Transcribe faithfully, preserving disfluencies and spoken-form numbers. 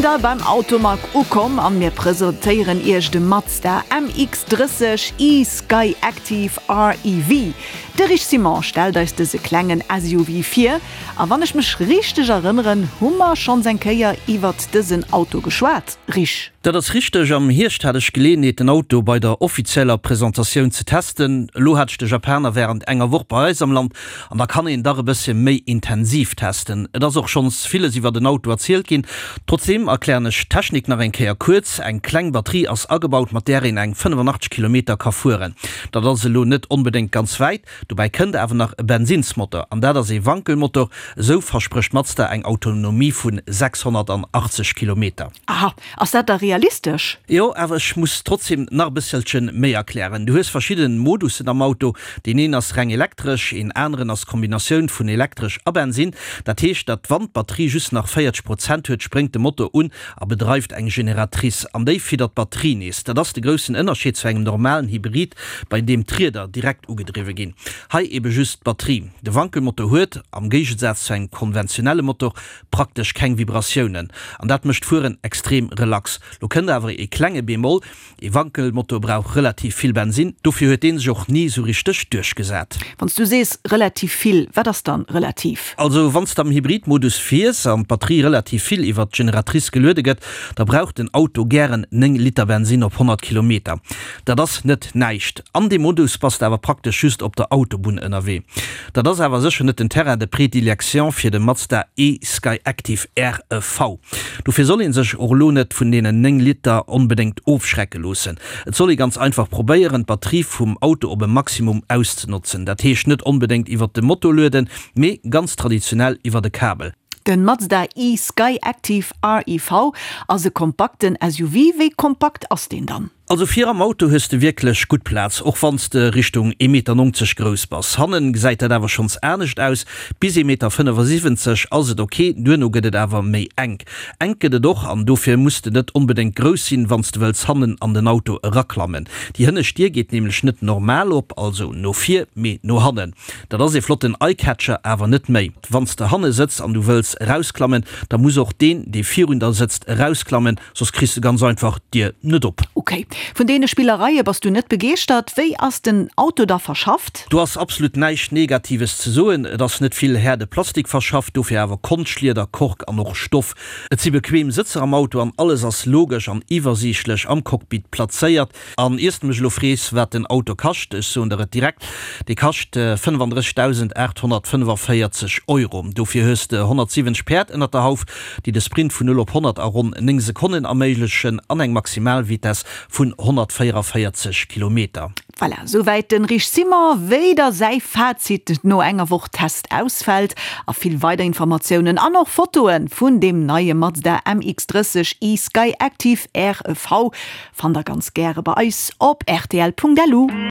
da beim Automag ukomm an mir presentéieren Iech de Mazda M X drësseg e-Skyactiv R E V. De Rich Simon stellt eis dëse klengen S U V vir. A wann ech mech richteg erënneren, hu mer schonns eng Kéier iwwert dësen Auto geschwat, Rich? Dat ass richteg. Am Hierscht hat ech Geleeënheet, den Auto bei der offizieller Presentatioun ze testen. Elo hat ech de Japaner wärend enger Woch bei eis am Land an da kann een dach e bësse méi intensiv testen. Et ass och schonns villes iwwer den Auto erzielt ginn. Trotzdeem erklären ech d'Technik nach eng Kéier kuerz. Eng kleng Batterie ass agebaut, mat där een eng fënnefanachteg Kilometer ka fueren. Dat ass elo net onbedéngt ganz wäit. Dobäi kënnt awer nach e Bensinnsmotor an dat ass ee Wankelmotor. Esou versprécht Mazda eng Autonomie vu sechshonnertachtzeg Kilometer. Aha, ass dat da realistesch? Jo, awer ech muss trotzdeem nach e bësselche méi erklären. Du hues verschidden Modussen am Auto. Deen een ass reng elektresch, een aneren ass Kombinatioun vun elektresch a Bensin. Dat heescht, datt wann d'Batterie just nach véierzeg Prozent huet, spréngt de Motor un a bedreift eng Generatrice an déi fiddert d'Batterie nees. Dat ass de groussen Ënnerscheed zu engem normalen Hybrid, bei deem d'Rieder direkt ugedriwwe ginn. Hei ebe just d'Batterie. De Wankelmotor huet, am Géigesaz zu engem konventionelle Motor, praktesch keng Vibratiounen an dat mécht d'Fueren extrem relax. Lo kënnt awer e klenge Bémol: E Wankelmotor brauch relativ vill Bensin, dofir huet dee sech och ni sou richteg duerchgesat. Wann s du sees relativ vill, wat ass dann relativ? Also wann s de am Hybridmodus fiers an d'Batterie relativ vill iwwer d'Generatrice geluede gëtt, da brauch den Auto gären néng Liter Bensin op honnert Kilometer. Dat ass net näischt. An deem Modus bass de awer praktesch just op der Autobunn ënnerwee. Dat ass awer sécher net den Terrain de prédilection fir de Mazda e-Skyactiv R E V. Dofir soll ee sech och elo net vun deenen néng Liter onbedéngt ofschrecke loossen. Et soll ee ganz einfach probéieren, d'Batterie vum Auto op e Maximum auszenotzen. Dat heescht net onbedéngt iwwer de Motor lueden, mee ganz traditionell iwwer de Kabel. Den Mazda e-Skyactiv R E V ass e kompakten S U V. Wéi kompakt ass deen dann? Also vir am Auto hues de wierklech gutt Plaz, och wann s de Richtung ee Meter nonzeg grouss bass. Hannen gesäit dat awer schonns anescht aus, bis ee Meter fënnefasiwwenzeg ass et ok, duerno gëtt et awer méi enk. Enk gëtt et och, an dofir muss de net onbedéngt grouss sinn, wann s de wëlls hannen an den Auto eraklammen. Déi hënnescht Dier geet nämlech net normal op, also no vir, mee no hannen. Dat ass ee flotten Eye-Catcher, awer net méi. Wann s de hanne sëtz an du wëlls erausklammen, da muss och deen, dee virun der sëtzt, erausklammen, soss kriss de ganz einfach d'Dier net op. Ok, vun deene Spillereie bass du net begeeschtert. Wéi ass den Auto da verschafft? Do ass absolut näischt Negatives ze soen. Et ass net vill haarde Plastik verschafft, dofir awer Konschtlieder, Kork an och Stoff. Et si bequem Sëtzer am Auto an alles ass logesch an iwwersiichtlech am Cockpit plazéiert. An iers de mech elo frees, wat den Auto kascht, ech soen der et direkt, Dee kascht fënnefandrëssigdausendaathonnertfënnefavéierzeg Euro. Dofir hues de honnertsiwwenzeg Päerd ënnert der Hauf, déi de Sprint vun null op honnert a ronn néng Sekonnen erméiglechen an eng Maximalvitess vun honnertvéierundavéierzeg Kilometer. Voilà, souwäit den Rich Simon, wéi da säi Fazit no enger Woch Test ausfält a vill weider Informatiounen an och Fotoe vun deem neie Mazda M X drësseg e-Skyactiv R E V fannt der ganz gäre bei eis op R T L Punkt L U.